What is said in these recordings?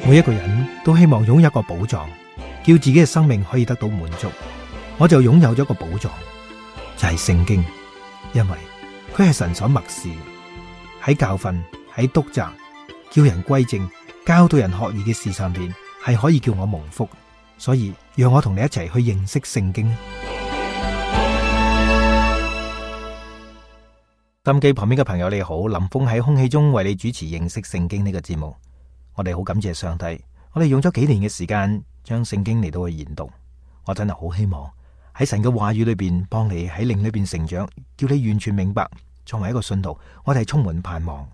每一個人都希望擁有一個寶藏，叫自己嘅生命可以得到滿足。我就擁有咗一個寶藏，就係聖經，因為佢係神所默示，喺教訓、喺督責、叫人歸正、教導人學義嘅事上邊，係可以叫我蒙福。所以讓我同你一齊去認識聖經。收音機旁邊嘅朋友你好，林峰喺空氣中為你主持認識聖經呢個節目。我哋好感謝上帝，我哋用咗幾年嘅時間將聖經嚟到去研讀。我真係好希望喺神嘅話語裏邊幫你喺靈裏邊成長，叫你完全明白。作為一個信徒，我哋係充滿盼望。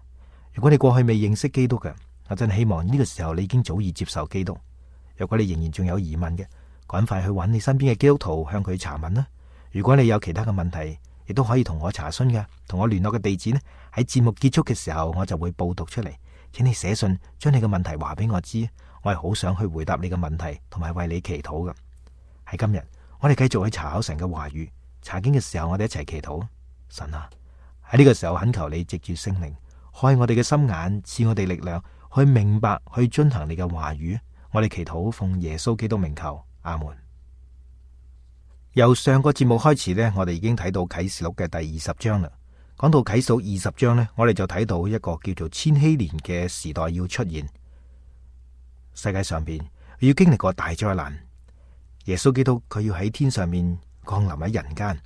如果你過去未認識基督嘅，我真係希望呢個時候你已經早已接受基督。如果你仍然仲有疑問嘅，趕快去揾你身邊嘅基督徒向佢查問啦。如果你有其他嘅問題，亦都可以同我查詢嘅，同我聯絡嘅地址呢，喺節目結束嘅時候我就會報讀出嚟，請你寫信將你嘅問題話俾我知，我係好想去回答你嘅問題，同埋為你祈禱嘅。喺今日我哋繼續去查考神嘅話語，查經嘅時候我哋一齊祈禱。神啊，喺呢個時候懇求你藉住聖靈開我哋嘅心眼，賜我哋力量去明白去遵行你嘅話語。我哋祈禱奉耶穌基督名求，阿門。由上個節目開始呢，我哋已經睇到啟示錄嘅第20章啦。講到啟示錄20章呢，我哋就睇到一個叫做千禧年嘅時代要出現，世界上邊要經歷過大災難。耶穌基督佢要喺天上面降臨喺人間，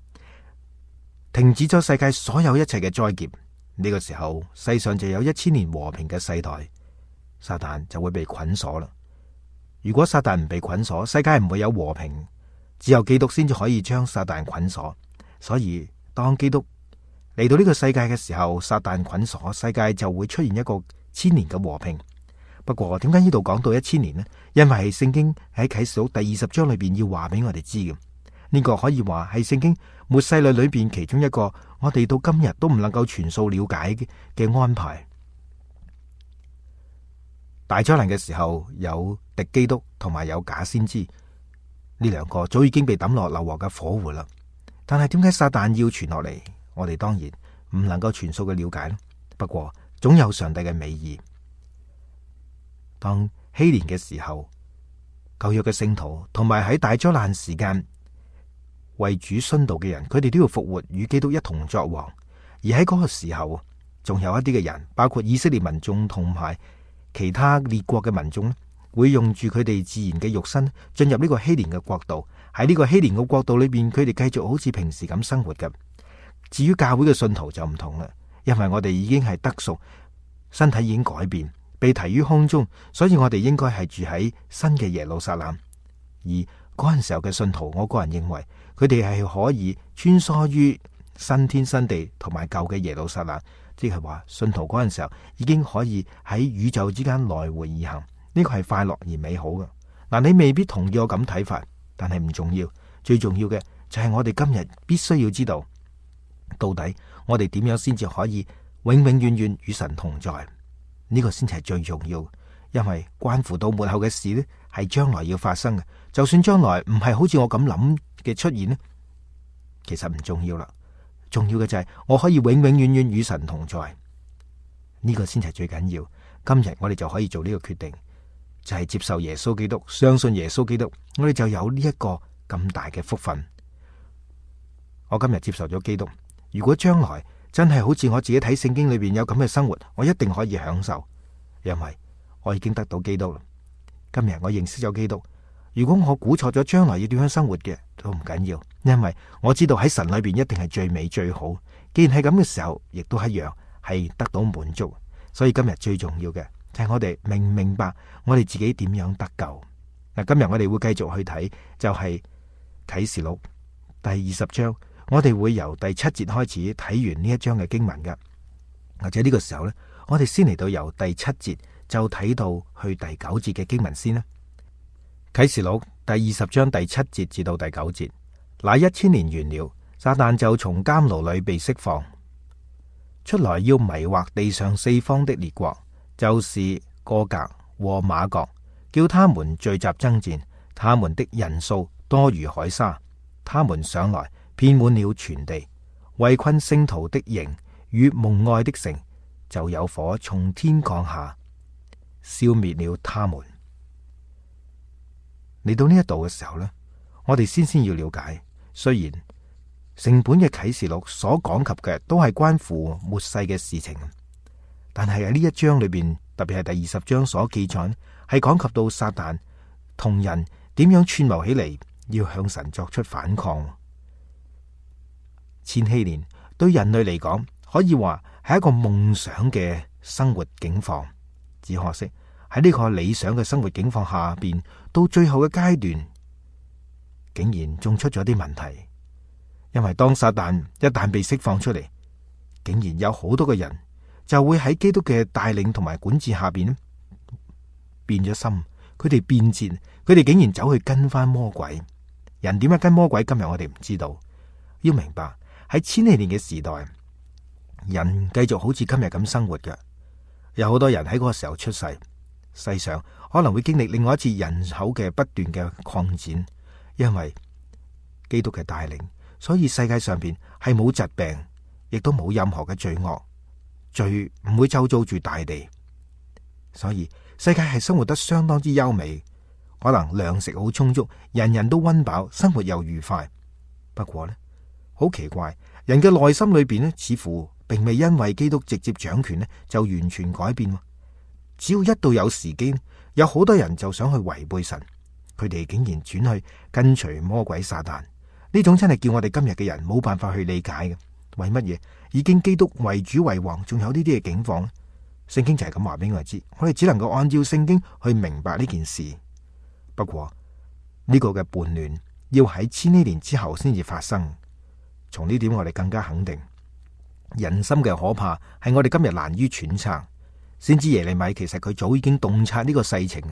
停止咗世界所有一切嘅災劫。呢個時候，世上就有1000年和平嘅世代，撒旦就會被捆鎖啦。如果撒旦唔被捆鎖，世界唔會有和平，只有基督先至可以將撒旦捆鎖。所以當基督嚟到呢個世界嘅時候，撒旦捆鎖，世界就會出現一個1000年嘅和平。不過點解呢度講到1000年呢？因為係聖經喺啟示錄第20章裏邊要話俾我哋知嘅。呢個可以話係聖經末世論裏邊其中一個我哋到今日都唔能夠全數了解嘅安排。大災難嘅時候，有敵基督同埋有假先知，呢兩個早已經被抌落硫磺嘅火湖啦。但係點解撒旦要傳落嚟？我哋當然唔能夠全數嘅了解啦。不過總有上帝嘅美意。當禧年嘅時候，舊約嘅聖徒同埋喺大災難時間為主殉道嘅人，佢哋都要復活與基督一同作王。而喺嗰個時候，仲有一啲嘅人，包括以色列民眾同埋其他列國嘅民眾，會用住佢哋自然嘅肉身進入呢個禧年嘅國度。喺呢個禧年嘅國度裏邊，佢哋繼續好似平時咁生活嘅。至於教會嘅信徒就唔同啦，因為我哋已經係得贖，身體已經改變，被提於空中，所以我哋應該係住喺新嘅耶路撒冷。而嗰陣時候嘅信徒，我個人認為佢哋係可以穿梭於新天新地同埋舊嘅耶路撒冷，即係話信徒嗰陣時候已經可以喺宇宙之間來回而行。呢個係快樂而美好嘅。嗱，你未必同意我咁睇法，但係唔重要。最重要嘅就係我哋今日必須要知道，到底我哋點樣先至可以永永遠遠與神同在？呢個先係最重要，因為關乎到末後嘅事呢，係將來要發生嘅。就算將來唔係好似我咁諗嘅出現呢，其實唔重要啦。重要嘅就係我可以永永遠遠與神同在，呢個先係最緊要。今日我哋就可以做呢個決定，就係接受耶穌基督，相信耶穌基督，我哋就有呢一個咁大嘅福分。我今日接受咗基督，如果將來真係好似我自己睇聖經裏邊有咁嘅生活，我一定可以享受，因為我已經得到基督啦。今日我認識咗基督，如果我估錯咗將來要點樣生活嘅，都唔緊要，因為我知道喺神裏邊一定係最美最好。既然係咁嘅時候，亦都一樣係得到滿足。所以今日最重要嘅就係我哋明唔明白我哋自己點樣得救。嗱，今日我哋會繼續去睇，就係啟示錄第20章，我哋會由第7節開始睇完呢一章嘅經文嘅。或者呢個時候呢，我哋先嚟到由第7節就睇到去第9節嘅經文先啦。啟示錄第20章第7節至到第9節，那1000年完了，撒旦就從監牢裏被釋放出來，要迷惑地上4方的列國，就是哥格和馬各，叫他們聚集爭戰。他們的人數多如海沙，他們上來遍滿了全地，圍困聖徒的營與蒙愛的城，就有火從天降下，消滅了他們。嚟到呢一度嘅時候呢，我哋先要了解，雖然成本嘅啟示錄所講及嘅都係關乎末世嘅事情，但係喺呢一章裏邊，特別係第20章所記載，係講及到撒旦同人點樣串謀起嚟，要向神作出反抗。千禧年對人類嚟講，可以話係一個夢想嘅生活境況，只可惜喺呢個理想嘅生活境況下邊，到最後嘅階段，竟然仲出咗啲問題。因為當撒旦一旦被釋放出嚟，竟然有好多嘅人就會喺基督嘅帶領同埋管治下邊變咗心，佢哋變節，佢哋竟然走去跟翻魔鬼。人點樣跟魔鬼？今日我哋唔知道。要明白喺千禧年嘅時代，人繼續好似今日咁生活嘅，有好多人喺嗰個時候出世，世上可能會經歷另外一次人口嘅不斷嘅擴展，因為基督嘅帶領，所以世界上邊係冇疾病，亦都冇任何嘅罪惡，罪唔會周遭住大地，所以世界係生活得相當之優美，可能糧食好充足，人人都溫飽，生活又愉快。不過呢，好奇怪，人嘅內心裏邊呢，似乎並未因為基督直接掌權呢就完全改變。只要一到有時機，有好多人就想去違背神，佢哋竟然轉去跟隨魔鬼撒旦。呢種真係叫我哋今日嘅人冇辦法去理解嘅。為乜嘢已經基督為主為王，仲有呢啲嘅境況呢？聖經就係咁話俾我哋知，我哋只能夠按照聖經去明白呢件事。不過呢個嘅叛亂要喺千禧年之後先至發生。從呢點我哋更加肯定，人心嘅可怕係我哋今日難於揣測。先知耶利米其實佢早已經洞察呢個世情。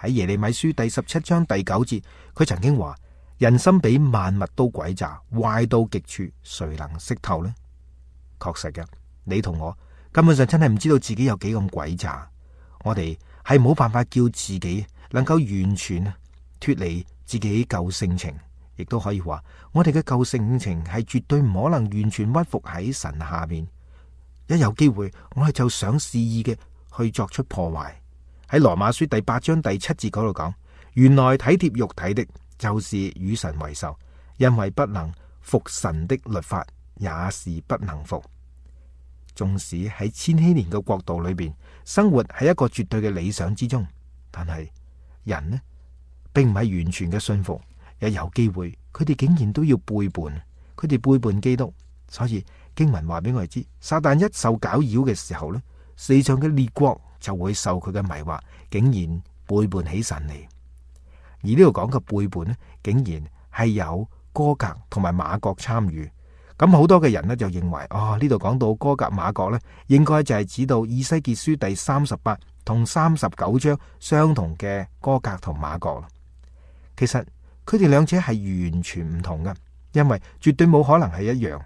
喺耶利米書第17章第9節，佢曾經話：人心比萬物都詭詐，壞到極處，誰能識透呢？確實嘅，你同我根本上真係唔知道自己有幾咁詭詐。我哋係冇辦法叫自己能夠完全脫離自己舊性情，亦都可以話我哋嘅舊性情係絕對唔可能完全屈服喺神下面。一有機會，我哋就想肆意嘅去作出破壞。喺羅馬書第8章第7節嗰度講，原來體貼肉體的，就是與神為仇，因為不能服神的律法，也是不能服。縱使喺千禧年嘅國度裏邊，生活喺一個絕對嘅理想之中，但係人呢，並唔係完全嘅信服。一有機會，佢哋竟然都要背叛，佢哋背叛基督。所以經文話俾我哋知，撒旦一受攪擾嘅時候呢，世上嘅列國就會受佢嘅迷惑，竟然背叛起神嚟。而呢度講嘅背叛呢，竟然係有歌革同埋馬各參與。咁好多嘅人呢，就認為，呢度講到歌革馬各呢，應該就係指到以西結書第38同39章相同嘅歌革同馬各。其實佢哋兩者係完全唔同嘅，因為絕對冇可能係一樣。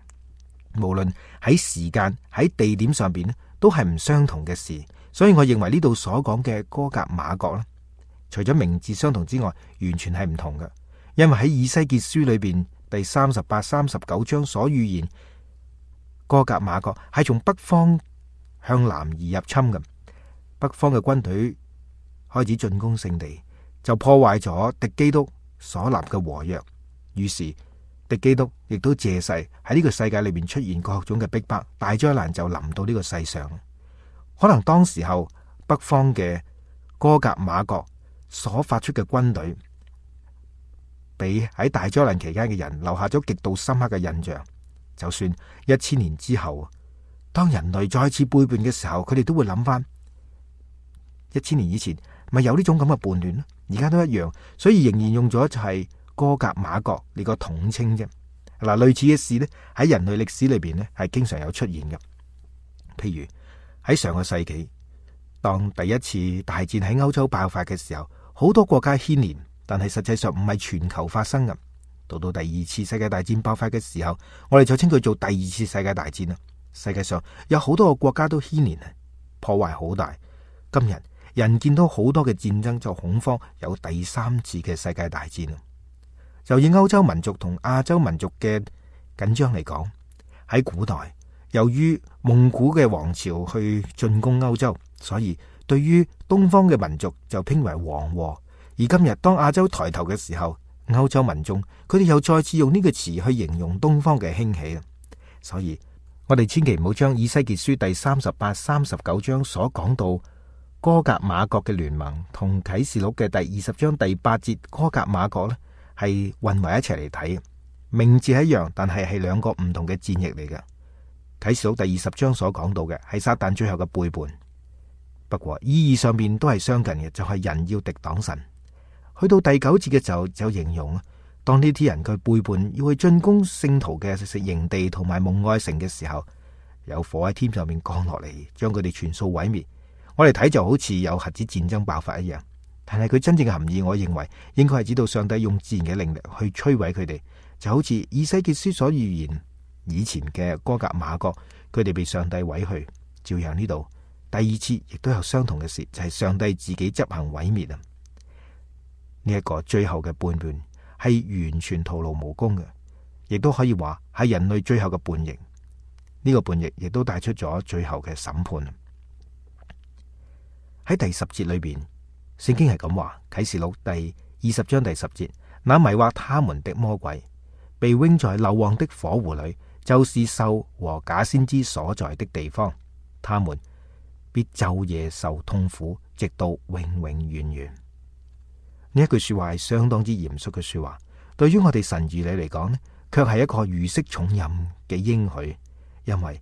無論喺時間喺地點上邊呢，都係唔相同嘅事。所以我認為呢度所講嘅歌革馬各呢，除咗名字相同之外，完全係唔同嘅。因為喺以西結書裏邊第38、39章所預言，歌革馬各係從北方向南而入侵嘅。北方嘅軍隊開始進攻聖地，就破壞咗敵基督所立嘅和約。於是敵基督亦都借勢喺呢個世界裏面出現各種嘅逼迫，大災難就臨到呢個世上。可能當時候北方嘅歌革馬各所發出嘅軍隊，俾喺大災難期間嘅人留下咗極度深刻嘅印象。就算1000年之後，當人類再次背叛嘅時候，佢哋都會諗翻1000年以前咪有呢種咁嘅叛亂咯，而家都一樣，所以仍然用咗就係歌革馬各呢個統稱啫。嗱，類似嘅事呢，喺人類歷史裏邊呢係經常有出現嘅。譬如喺上個世紀，當第一次大戰喺歐洲爆發嘅時候，好多國家牽連，但係實際上唔係全球發生嘅。到第二次世界大戰爆發嘅時候，我哋就稱佢做第二次世界大戰啦。世界上有好多個國家都牽連，破壞好大。今日人見到好多嘅戰爭，就恐慌有第3次嘅世界大戰。就以歐洲民族同亞洲民族嘅緊張嚟講，喺古代由於蒙古嘅王朝去進攻歐洲，所以對於東方嘅民族就稱為黃禍。而今日當亞洲抬頭嘅時候，歐洲民眾佢哋又再次用呢個詞去形容東方嘅興起。所以我哋千祈唔好將以西結書第38、39章所講到哥格馬國嘅聯盟同啟示錄嘅第20章第8節哥格馬國呢係混為一齊嚟睇。名字係一樣，但係兩個唔同嘅戰役嚟嘅。啟示錄第20章所講到嘅係撒旦最後嘅背叛，不過意義上面都係相近嘅，就係人要敵擋神。去到第9節嘅時候就形容，當呢啲人佢背叛要去進攻聖徒嘅營地同埋蒙愛城嘅時候，有火喺天上面降落嚟，將佢哋全數毀滅。我哋睇就好似有核子戰爭爆發一樣，但係佢真正嘅含義，我認為應該係指到上帝用自然嘅靈力去摧毀佢哋，就好似以西結書所預言以前嘅哥格馬國，佢哋被上帝毀去，照樣呢度第2次亦都有相同嘅事，就係上帝自己執行毀滅啊！呢一個最後嘅叛亂係完全徒勞無功嘅，亦都可以話係人類最後嘅叛逆。呢個叛逆亦都帶出咗最後嘅審判。喺第10節裏邊，聖經係咁話：啟示錄第20章第10節，那迷惑他們的魔鬼，被扔在硫磺的火湖裏，就是獸和假先知所在的地方，他們必晝夜受痛苦，直到永永遠遠。呢一句說話係相當之嚴肅嘅說話，對於我哋神兒女嚟講呢，卻係一個如釋重任嘅應許，因為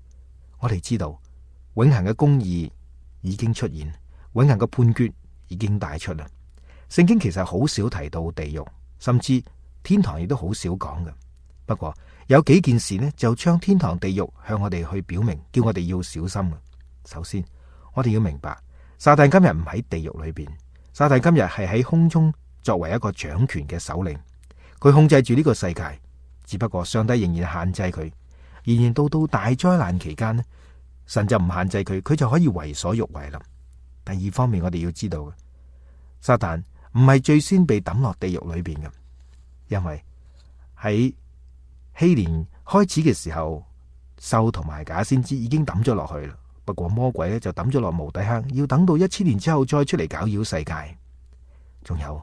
我哋知道永恆嘅公義已經出現，永恆嘅判決已經帶出啦。聖經其實好少提到地獄，甚至天堂亦都好少講嘅。不過有幾件事呢，就將天堂地獄向我哋去表明，叫我哋要小心啊。首先，我哋要明白，撒旦今日唔喺地獄裏邊，撒旦今日係喺空中作為一個掌權嘅首領，佢控制住呢個世界。只不過上帝仍然限制佢，仍然到大災難期間呢，神就唔限制佢，佢就可以為所欲為啦。第二方面，我哋要知道嘅，撒旦唔係最先被抌落地獄裏邊嘅，因為喺希年開始嘅時候，獸同埋假先知已經抌咗落去啦。不過魔鬼咧就抌咗落無底坑，要等到1000年之後再出嚟攪擾世界。仲有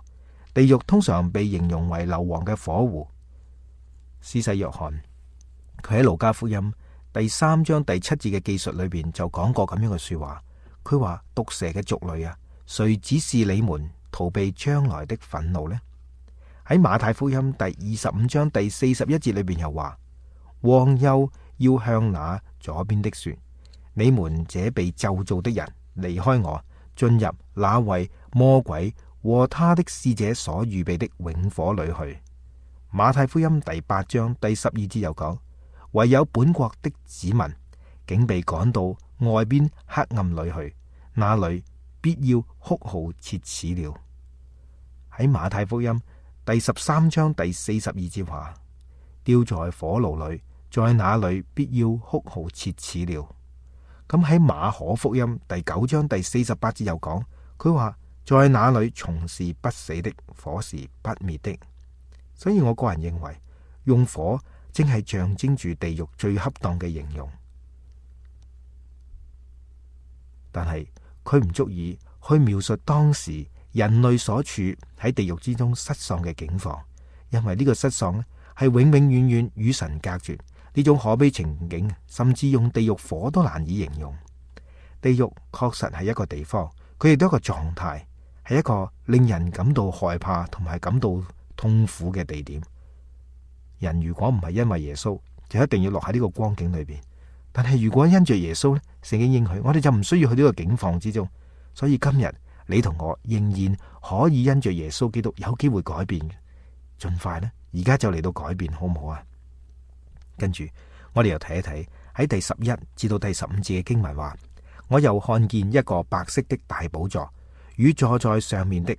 地獄通常被形容為硫磺嘅火湖。施洗約翰佢喺路加福音第3章第7節嘅記述裏邊就講過咁樣嘅說話。佢話：毒蛇嘅族類啊，誰指示你們逃避將來的憤怒呢？喺馬太福音第25章第41節裏邊又話：王又要向那左邊的說，你們這被咒詛的人，離開我，進入那為魔鬼和他的使者所預備的永火裏去。馬太福音第8章第12節又講：唯有本國的子民，竟被趕到外邊黑暗裏去，那裏必要哭號切齒了。喺馬太福音第13章第42節話：丟在火爐裏，在那裏必要哭號切齒了。咁喺馬可福音第9章第48節又講，佢話：在那裏蟲是不死的，火是不滅的。所以我個人認為，用火正係象徵住地獄最恰當嘅形容。但係佢唔足以去描述當時人類所處喺地獄之中失喪嘅境況，因為呢個失喪咧係永永遠遠與神隔絕，呢種可悲情景，甚至用地獄火都難以形容。地獄確實係一個地方，佢亦都係一個狀態，係一個令人感到害怕同埋感到痛苦嘅地點。人如果唔係因為耶穌，就一定要落喺呢個光景裏邊。但係如果因着耶穌咧，聖經應許我哋就唔需要去呢個境況之中。所以今日你同我仍然可以因着耶穌基督有機會改變嘅，盡快呢，而家就嚟到改變，好唔好啊？跟住我哋又睇一睇喺第11至到第15節嘅經文話：我又看見一個白色的大寶座，與坐在上面的，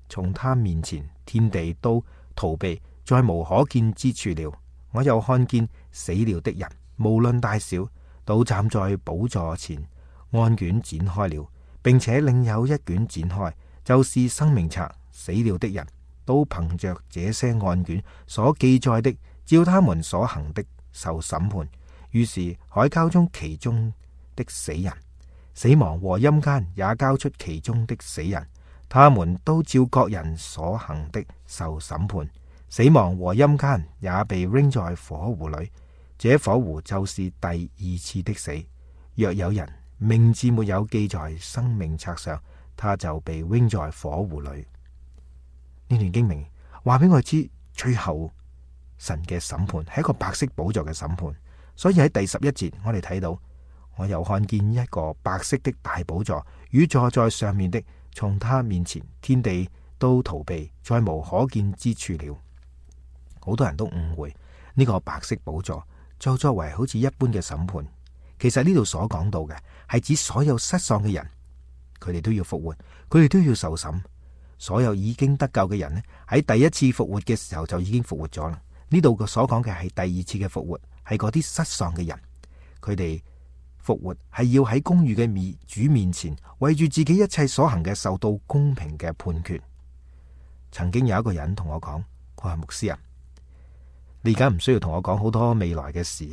從他面前天地都逃避，再無可見之處了。我又看見死了的人，無論大小，都站在寶座前，案卷展開了，並且另有一卷展開，就是生命冊。死了的人都憑着這些案卷所記載的，照他們所行的受審判。於是海交中其中的死人，死亡和陰間也交出其中的死人，他們都照各人所行的受審判，死亡和陰間也被扔在火湖裏。這火湖就是第二次的死。若有人名字沒有記在生命冊上，他就被扔在火湖裏。呢段經明話俾我知，最後神嘅審判係一個白色寶座嘅審判。所以喺第11節我哋睇到，我又看見一個白色的大寶座，與坐在上面的，從他面前天地都逃避，再無可見之處了。好多人都誤會呢個白色寶座就作為好似一般嘅審判。其實呢度所講到嘅係指所有失喪嘅人，佢哋都要復活，佢哋都要受審。所有已經得救嘅人呢，喺第一次復活嘅時候就已經復活咗啦。呢度所講嘅係第二次嘅復活，係嗰啲失喪嘅人，佢哋復活係要喺公義嘅主面前，為住自己一切所行嘅受到公平嘅判決。曾經有一個人同我講，佢話牧師啊，你而家唔需要同我講好多未來嘅事，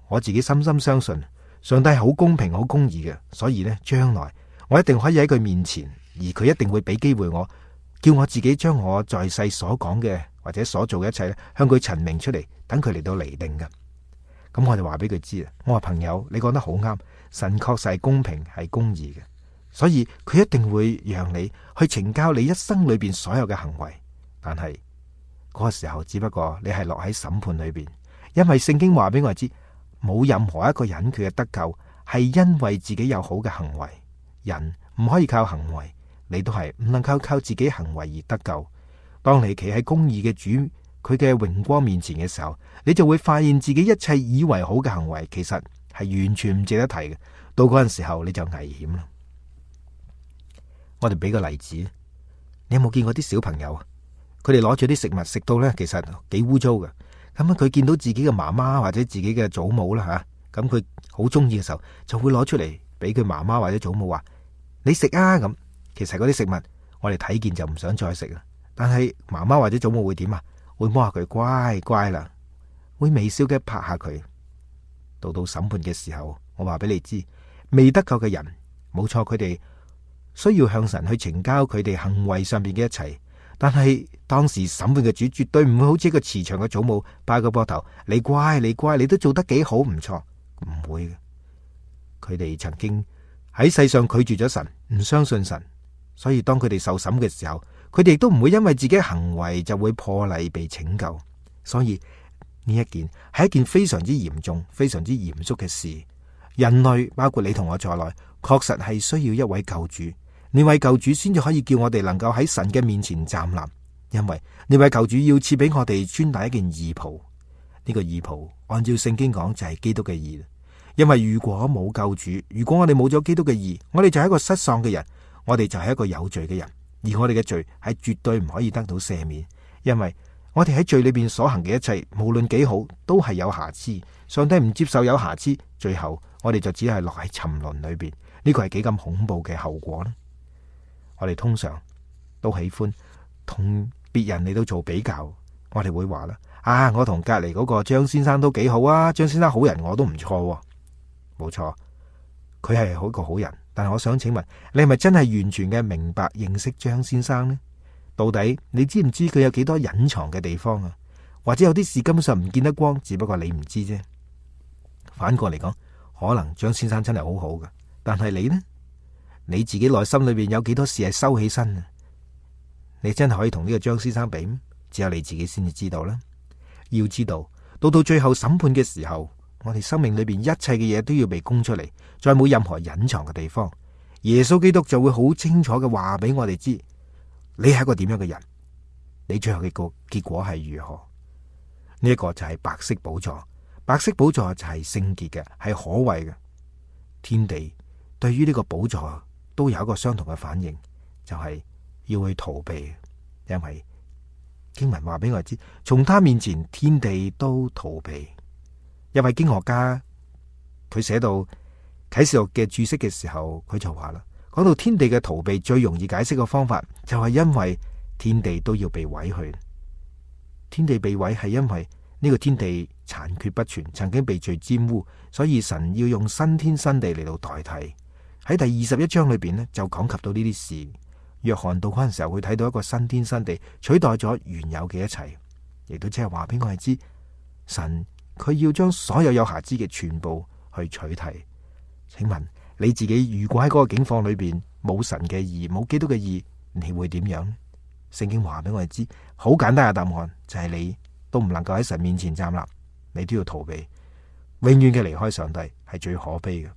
我自己深深相信上帝係好公平好公義嘅，所以呢，將來我一定可以喺佢面前，而佢一定會俾機會我，叫我自己將我在世所講嘅或者所做嘅一切咧，向佢陳明出嚟，等佢嚟到釐定嘅。咁我就話俾佢知啊，我話朋友，你講得好啱，神確實係公平係公義嘅，所以佢一定會讓你去懲教你一生裏邊所有嘅行為。但係嗰個時候只不過你係落喺審判裏邊，因為聖經話俾我知，冇任何一個人佢嘅得救係因為自己有好嘅行為，人唔可以靠行為，你都係唔能夠靠自己行為而得救。當你企喺公義嘅主佢嘅榮光面前嘅時候，你就會發現自己一切以為好嘅行為，其實係完全唔值得提嘅。到嗰陣時候你就危險啦。我哋俾個例子，你有冇見過啲小朋友啊？佢哋攞住啲食物食到呢，其實幾污糟嘅。咁佢見到自己嘅媽媽或者自己嘅祖母啦吓，咁佢好中意嘅時候，就會攞出嚟俾佢媽媽或者祖母話：你食啊！咁其實嗰啲食物我哋睇見就唔想再食啦。但係媽媽或者祖母會點啊？會摸下佢，乖乖啦，會微笑嘅拍下佢。到審判嘅時候，我話俾你知，未得救嘅人冇錯，佢哋需要向神去呈交佢哋行為上邊嘅一切。但係當時審判嘅主絕對唔會好似一個慈祥嘅祖母拍個膊頭，你乖你乖，你都做得幾好，唔錯，唔會嘅。佢哋曾經喺世上拒絕咗神，唔相信神，所以當佢哋受審嘅時候，佢哋都唔會因為自己行為就會破例被拯救。所以呢一件係一件非常之嚴重、非常之嚴肅嘅事。人類包括你同我在內，確實係需要一位救主。呢位救主先至可以叫我哋能夠喺神嘅面前站立，因為呢位救主要賜俾我哋穿戴一件義袍。呢個義袍按照聖經講就係基督嘅義。因為如果冇救主，如果我哋冇咗基督嘅義，我哋就係一個失喪嘅人，我哋就係一個有罪嘅人，而我哋嘅罪係絕對唔可以得到赦免，因為我哋喺罪裏邊所行嘅一切，無論幾好，都係有瑕疵。上帝唔接受有瑕疵，最後我哋就只係落喺沉淪裏邊。呢個係幾咁恐怖嘅後果呢？我哋通常都喜歡同別人嚟到做比較，我哋會話啦，啊，我同隔籬嗰個張先生都幾好啊，張先生好人，我都唔錯。冇錯，佢係好一個好人，但係我想請問，你係咪真係完全嘅明白認識張先生呢？到底你知唔知佢有幾多隱藏嘅地方啊？或者有啲事根本上唔見得光，只不過你唔知啫。反過嚟講，可能張先生真係好好嘅，但係你呢？你自己內心裏邊有幾多事係收起身啊？你真係可以同呢個張先生比咩？只有你自己先至知道啦。要知道，到最後審判嘅時候，我哋生命裏邊一切嘅嘢都要被供出嚟，再冇任何隱藏嘅地方。耶穌基督就會好清楚嘅話俾我哋知，你係一個點樣嘅人，你最後嘅個結果係如何。呢一個就係白色寶座，白色寶座就係聖潔嘅，係可畏嘅。天地對於呢個寶座都有一個相同嘅反應，就係要去逃避，因為經文話俾我知，從他面前天地都逃避。一位經學家佢寫到啟示錄嘅注釋嘅時候，佢就話啦，講到天地嘅逃避最容易解釋嘅方法，就係因為天地都要被毀去。天地被毀係因為呢個天地殘缺不全，曾經被罪沾污，所以神要用新天新地嚟到代替。喺第21章裏邊呢，就講及到呢啲事，約翰到嗰陣時候會睇到一個新天新地，取代咗原有嘅一切，亦都即係話俾我哋知，神佢要將所有有瑕疵嘅全部去取替。請問你自己如果喺嗰個境況裏邊冇神嘅義，冇基督嘅義，你會點樣？聖經話俾我哋知，好簡單嘅答案就係你都唔能夠喺神面前站立，你都要逃避，永遠嘅離開上帝係最可悲嘅。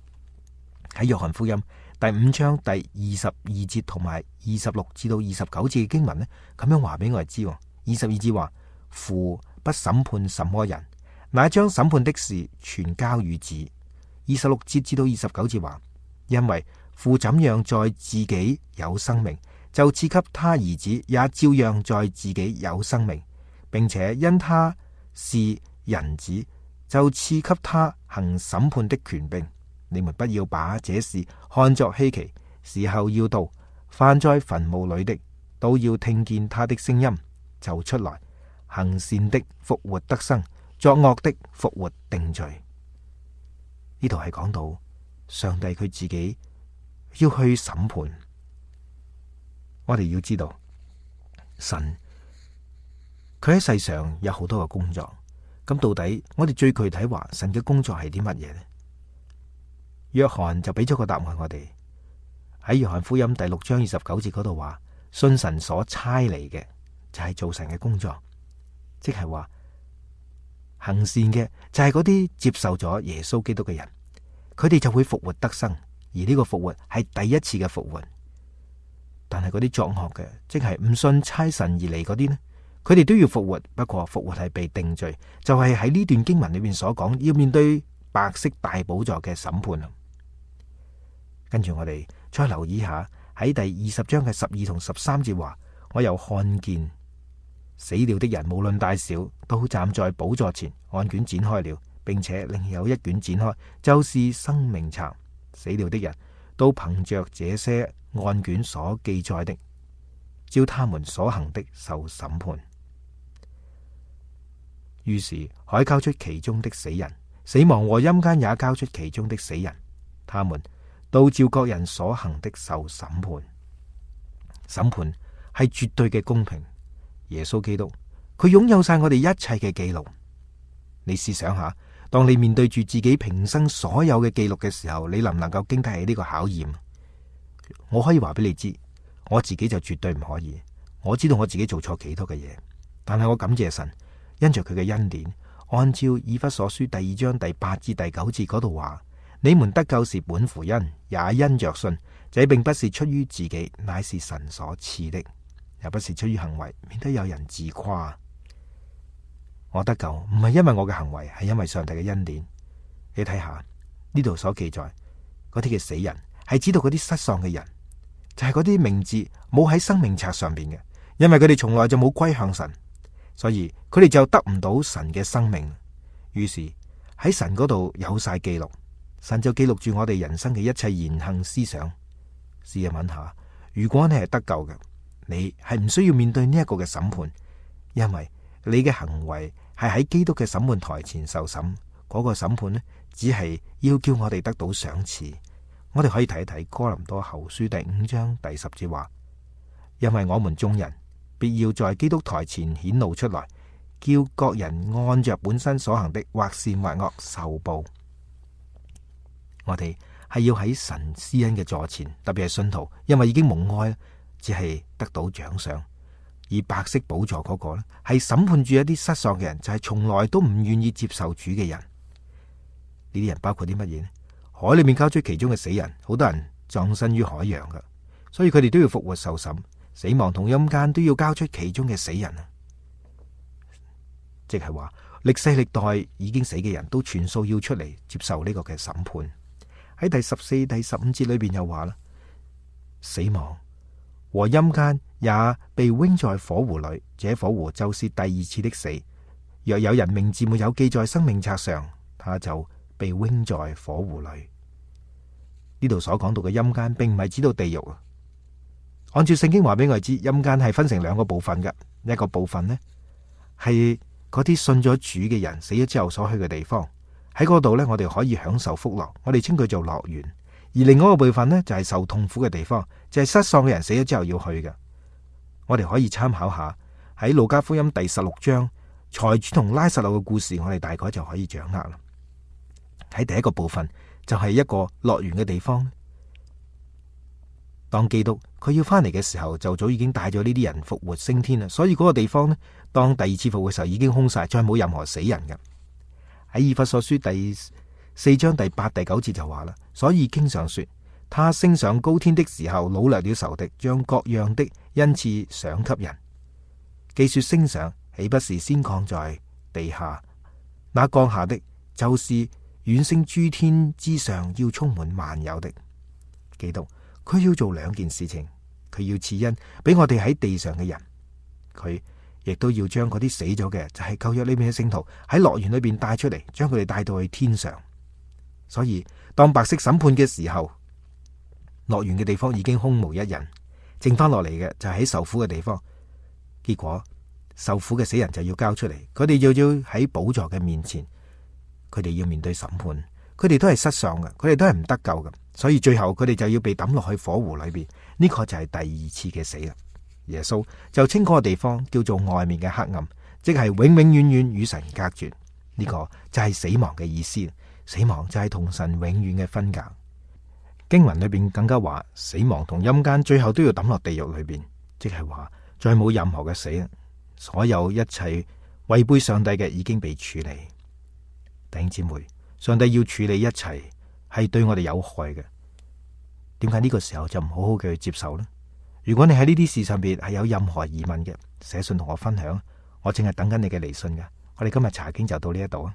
喺約翰福音第5章第22節同埋26至到29節嘅經文呢，咁樣話俾我哋知。22節話，父不審判什麼人，乃將審判的事全交與子。26節至到29節話，因為父怎樣在自己有生命，就賜給他兒子也照樣在自己有生命，並且因他是人子，就賜給他行審判的權柄。你們不要把這事看作稀奇，時候要到，凡在墳墓裏的都要聽見他的聲音，就出來，行善的復活得生，作惡的復活定罪。呢度係講到上帝佢自己要去審判。我哋要知道神佢喺世上有好多嘅工作，咁到底我哋最具體話神嘅工作係啲乜嘢呢？約翰就俾咗個答案我哋，喺約翰福音第6章29節嗰度話，信神所差嚟嘅就係做神嘅工作，即係話行善嘅就係嗰啲接受咗耶穌基督嘅人，佢哋就會復活得生，而呢個復活係第一次嘅復活。但係嗰啲作惡嘅，即係唔信差神而嚟嗰啲呢，佢哋都要復活，不過復活係被定罪，就係喺呢段經文裏面所講要面對白色大寶座嘅審判。跟住我哋再留意下喺第20章嘅12同13節話，我又看見死了的人無論大小，都站在寶座前，案卷展開了，並且另有一卷展開，就是生命冊。死了的人都憑着這些案卷所記載的，照他們所行的受審判。於是海交出其中的死人，死亡和陰間也交出其中的死人，他們都照各人所行的受審判。審判係絕對嘅公平。耶穌基督佢擁有晒我哋一切嘅記錄。你試想下，當你面對住自己平生所有嘅記錄嘅時候，你能唔能夠經得起呢個考驗？我可以話俾你知，我自己就絕對唔可以。我知道我自己做錯幾多嘅嘢，但係我感謝神，因着佢嘅恩典，按照以弗所書第2章第8至第9節嗰度話，你們得救是本乎恩，也因着信。這並不是出於自己，乃是神所賜的，也不是出於行為，免得有人自誇。我得救唔係因為我嘅行為，係因為上帝嘅恩典。你睇下呢度所記載嗰啲嘅死人，係指到嗰啲失喪嘅人，就係嗰啲名字冇喺生命冊上邊嘅，因為佢哋從來就冇歸向神，所以佢哋就得唔到神嘅生命。於是喺神嗰度有晒記錄，神就記錄住我哋人生嘅一切言行思想。試問下，如果你係得救嘅，你係唔需要面對呢一個嘅審判，因為你嘅行為係喺基督嘅審判台前受審。嗰個審判呢，只係要叫我哋得到賞賜。我哋可以睇一睇哥林多後書第5章第10節話，因為我們眾人必要在基督台前顯露出來，叫各人按着本身所行的，或善或惡受報。我哋係要喺神施恩嘅座前，特別係信徒，因為已經蒙愛，只係得到獎賞。而白色寶座嗰個呢，係審判住一啲失喪嘅人，就係從來都唔願意接受主嘅人。呢啲人包括啲乜嘢呢？海裏面交出其中嘅死人，好多人葬身於海洋噶，所以佢哋都要復活受審。死亡同陰間都要交出其中嘅死人啊！即係話歷世歷代已經死嘅人都全數要出嚟接受呢個嘅審判。喺第14、第15節裏邊又話啦，死亡和陰間也被扔在火湖裏，這火湖就是第二次的死。若有人名字沒有記在生命冊上，他就被扔在火湖裏。呢度所講到嘅陰間，並唔係指到地獄啊。按照聖經話俾我哋知，陰間係分成兩個部分嘅，一個部分呢係嗰啲信咗主嘅人死咗之後所去嘅地方，喺嗰度呢，我哋可以享受福樂，我哋稱佢做樂園。而另外一個部分呢，就係受痛苦嘅地方，就係失喪嘅人死咗之後要去嘅。我哋可以參考下喺路加福音第16章財主同拉撒路嘅故事，我哋大概就可以掌握啦。喺第一個部分就係一個樂園嘅地方。當基督佢要翻嚟嘅時候，就早已經帶咗呢啲人復活升天啦。所以嗰個地方呢，當第二次復活嘅時候已經空晒，再冇任何死人嘅。喺以弗所書第4章第8、第9節就話啦，所以經上說，他升上高天的時候，擄掠了仇敵，將各樣的恩賜賞給人。既說升上，豈不是先降在地下？那降下的，就是遠升諸天之上，要充滿萬有的基督。佢要做兩件事情，佢要賜恩俾我哋喺地上嘅人，佢亦都要將嗰啲死咗嘅，就係舊約裏面嘅聖徒喺樂園裏邊帶出嚟，將佢哋帶到去天上。所以當白色審判嘅時候，樂園嘅地方已經空無一人，剩翻落嚟嘅就係喺受苦嘅地方。結果受苦嘅死人就要交出嚟，佢哋要喺寶座嘅面前，佢哋要面對審判。佢哋都係失喪嘅，佢哋都係唔得救嘅，所以最後佢哋就要被抌落去火湖裏邊。呢個就係第二次嘅死啦。耶穌就稱嗰個地方叫做外面嘅黑暗，即係永永遠遠與神隔絕。呢個就係死亡嘅意思。死亡就係同神永遠嘅分隔。經文裏邊更加話，死亡同陰間最後都要抌落地獄裏邊，即係話再冇任何嘅死，所有一切違背上帝嘅已經被處理。弟兄姊妹，上帝要處理一切係對我哋有害嘅，點解呢個時候就唔好好嘅去接受呢？如果你喺呢啲事上邊係有任何疑問嘅，寫信同我分享，我淨係等緊你嘅嚟信嘅。我哋今日查經就到呢一度啊！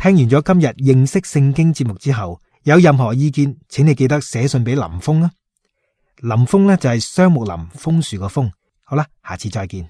聽完咗今日認識聖經節目之後，有任何意見，請你記得寫信俾林峰啊。林峰呢就係雙木林楓樹個楓。好啦，下次再見。